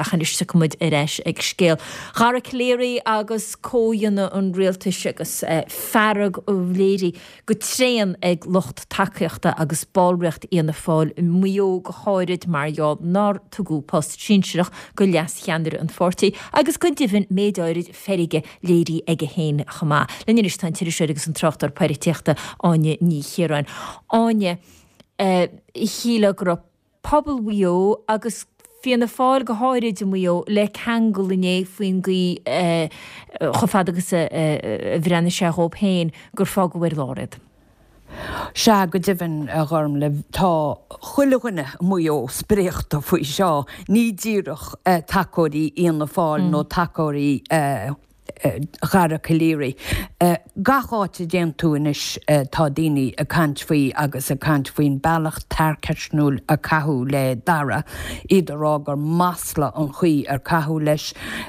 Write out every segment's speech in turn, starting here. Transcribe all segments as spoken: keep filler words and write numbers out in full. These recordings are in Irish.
Ach anois tiocfaidh muid ar ais ag scéal Dhara Calleary agus comhdhéanamh an rialtais agus fearg léirithe go tréan ag lucht tacaíochta agus ballraíocht Fhianna Fáil i Maigh Eo go háirid mar gheall nár tugadh post sinsearach go leascheannaire an pháirtí agus go deimhin méid áirid feirge léirithe aige féin chomh maith. Linn anois tá an t-iriseoir agus an tráchtaire polaitíochta Áine Ní Chiaráin. Áine, shílfeá go raibh pobal Mhaigh Eo agus Fianna Fáil go háirid i Maigh Eo le ceangal inné faoin gcaoi chomh fada agus a bhreathnaigh sé dhóibh féin gur fágadh ar lár iad. Sea, go deimhin, a Ghormlaith, tá chuile dhuine i Maigh Eo spréachta faoi seo, ní díreach tacóirí Fhianna Fáil nó tacóirí Dhara Calleary. Gach áit a dtéann tú anois tá daoine ag caint faoi agus ag caint faoin bealach tarcaisniúil a caitheadh le Dara, iad ag rá gur masla an chaoi ar caitheadh leis,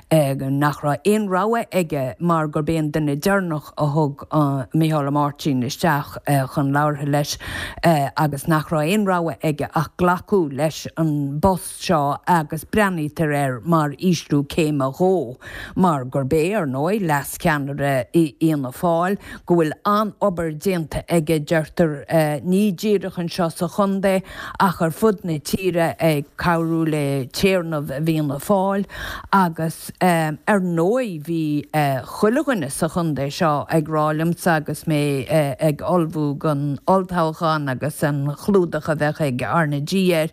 nach raibh aon rogha aige mar gurb é an duine deireanach a thug Micheál Ó Máirtín isteach chun labhartha leis agus nach raibh aon rogha aige ach glacadh leis an bpost seo agus breathnaítear air mar ísliú céime dhó mar gurb é, ar ndóigh, leascheannaire Fhianna Fáil, go bhfuil an-obair déanta aige, deirtear, ní díreach anseo sa chontae ach ar fud na tíre ag cabhrú le téarnamh Fhianna Fáil agus, ar ndóigh, bhí chuile dhuine sa chontae seo ag rá liomsa agus mé ag ullmhú don olltoghchán agus an chlúdach a bheadh ag R na G air,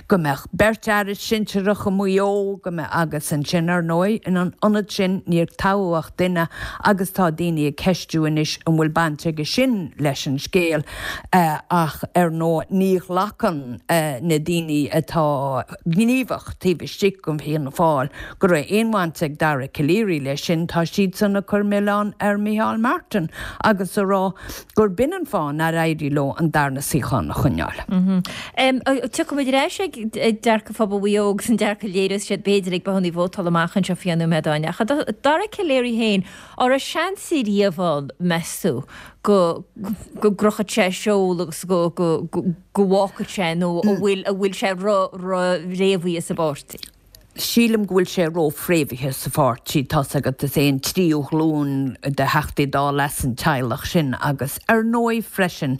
go mbeadh beirt aire sinsearach i Maigh Eo, go mbeadh, agus ansin, ar ndóigh, in ionad sin, níor toghadh ach duine agus tá daoine ag ceistiú anois an bhfuil baint aige sin leis an scéal ach, ar ndóigh, ní ghlacann na daoine atá gníomhach taobh istigh de Fhianna Fáil go raibh aon bhaint ag Dara Calleary leis sin, tá siadsan ag cur milleán ar Micheál Martin agus ag rá gur b'in an fáth nár éirigh leo an darna suíochán a choinneáil. Tiocfaidh muid ar ais ag dearcadh phobal Mhaigh Eo agus an dearcadh a léireos siad b'fhéidir ag bothanna vótála amach anseo faoi nóiméad Áine. Ach Dara Calleary féin, an raibh seans ariamh ann, meas tú, go go gcrochfadh sé a sheol agus go go go bhfágfadh sé nó an bhfuil an bhfuil sé ró-fhréamhaithe sa bpáirtí? Sílim go bhfuil sé ró-fhréamhaithe sa pháirtí, tá's agat, is é an tríú glúin de Theachtaí Dála as an teaghlach sin agus ar ndóigh freisin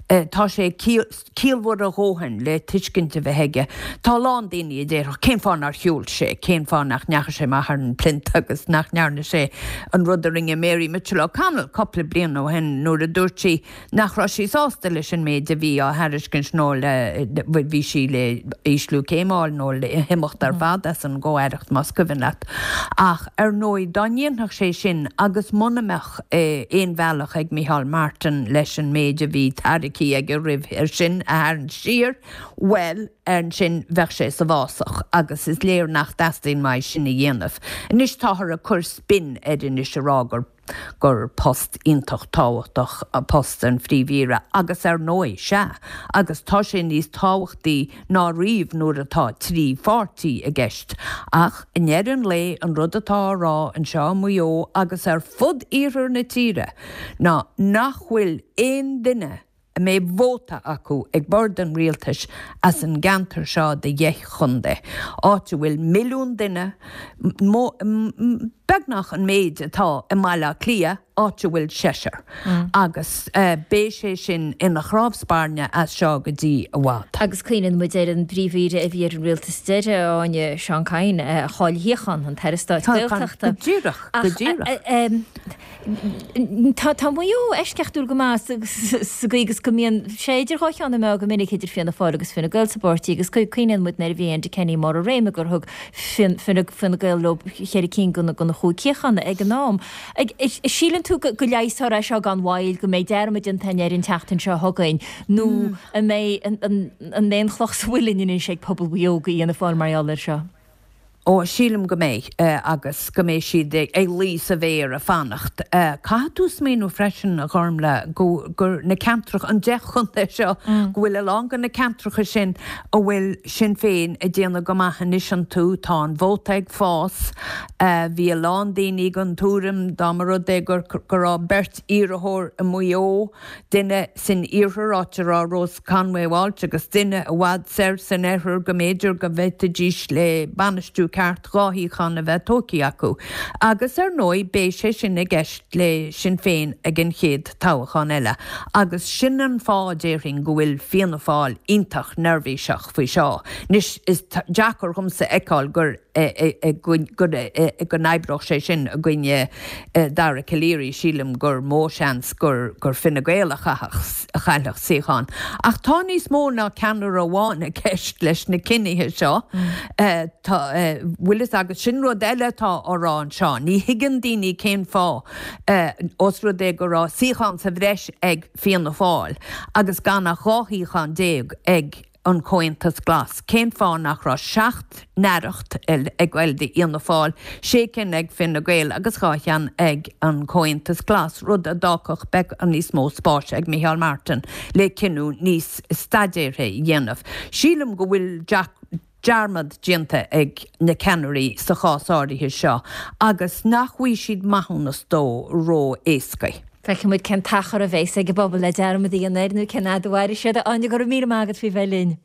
tá sé ciallmhar a dhóthain le tuiscint a bheith aige. Tá a lán daoine a déarfadh cén fáth nár shiúil sé, cén fáth nach ndeachaigh sé amach ar an plinth agus nach ndearna sé an rud a rinne Mary Mitchell O'Connell cúpla bliain ó shin nuair a dúirt sí nach raibh sí sásta leis an méid a bhí á thairiscint nó le, bhí sí le ísliú céime a fháil nó le himeacht ar fad as an gcomh-aireacht más cuimhin leat. Ach ar ndóigh dá ndéanfadh sé sin agus muna mbeadh aon bhealach ag Micheál Martin leis an méid a bhí tairgthe aige roimhe sin a tharraingt siar, bhuel, ansin bheadh sé sa bhfásach agus is léir nach dteastaíonn uaidh sin a dhéanamh. Anois táthar ag cur spin air anois a rá gur gur post iontach tábhachtach post an Phríomh-Aoire agus ar ndóigh, sea, agus tá sé níos tábhachtaí ná riamh nuair atá trí pháirtí i gceist. Ach i ndeireadh an lae, an rud atá á rá anseo i Maigh Eo agus ar fud iarthar na tíre ná nach bhfuil aon duine a mbeidh vóta acu ag bord an rialtais as an gceantar seo de dheich chontae, áit a bhfuil milliún duine, beagnach an méid atá i mBaile Átha Cliath, áit a bhfuil seisear. Agus beidh sé sin ina chnámh spairne as seo go dtí i bhfad. Agus cuimhníonn muid ar an bPríomh-Aoire a bhí ar an rialtas deiridh, a Áine, Seán Kyne, a chaill a shuíochán, an tAire Stáit Gaeltachta. Go díreach, go díreach. Tá tá Maigh Eo eisceachtúil go maith sa gcaoi agus go mbíonn sé idir dhá cheann na meá go minic idir Fianna Fáil agus Fine Gael sa bpáirtí agus cuimhníonn muid nuair a bhí Enda Kenny i mbarr a réime gur thug Fine Gael leo cheithre cinn de na chúig shuíochán ag an am. Síleann tú go leigheasfar é seo gan mhoill, go mbeidh dearmad déanta air an tseachtain seo chugainn nó an mbeidh an mbeidh an chloch sa mhuileann anois ag pobal Mhaigh Eo go Fhianna Fáil mar gheall air seo? Ó, sílim go mbeidh, agus go mbeidh siad ag luí sa bhféar ag fanacht. Caithfidh tú smaoineamh freisin, a Ghormlaith, go, gur na ceantracha, an deich chontae seo, go bhfuil a lán de na ceantracha sin a bhfuil Sinn Féin ag déanamh go maith anois iontu, tá an vóta ag fás. Bhí a lán daoine den tuairim dá mba rud é gur, go raibh beirt iarrthóir i Maigh Eo, duine san iarthar, áit a raibh Rose Conway Walsh agus duine i bhfad soir san oirthear go mb'fhéidir go bhféadfaidís le bainistiú ceart dhá shuíochán a bheith tógtha acu agus ar ndóigh beidh sé sin i gceist le Sinn Féin ag an chéad toghchán eile agus sin an fáth déarfainn go bhfuil Fianna Fáil iontach neirbhíseach faoi seo. Anois is deacair dhomsa fheiceáil gur go n-oibreodh sé sin i gcoinne Dara Calleary, sílim gur mó seans gur gur Fine Gael a chaillfeadh suíochán. Ach tá níos mó ná ceannaire amháin i gceist leis na cinnithe seo. Tá bhfuil fhios agat sin rud eile atá á rá anseo. Ní thuigeann daoine cén fáth os rud é go raibh suíochán sa bhreis ag Fianna Fáil agus gan ach dhá shuíochán déag ag an Comhaontas Glas. Cén fáth nach raibh seacht n-aireacht ag goil d'Fhianna Fáil, sé cinn ag Fine Gael agus dhá cheann ag an Comhaontas Glas, rud a d'fhágfadh beagán níos mó spáis ag Micheál Martin le cinneadh níos staidéartha a dhéanamh. Sílim go bhfuil dearmad déanta ag na ceannairí sa chás áirithe seo agus nach bhfaighidh siad maithiúnas dó ró-éasca. Feicfidh muid cén t-achar a bheas ag an bpobal le dearmad a dhéanamh air nó cén fhad a mhairfidh siad. Áine, go raibh míle maith agat faoi bheith linn.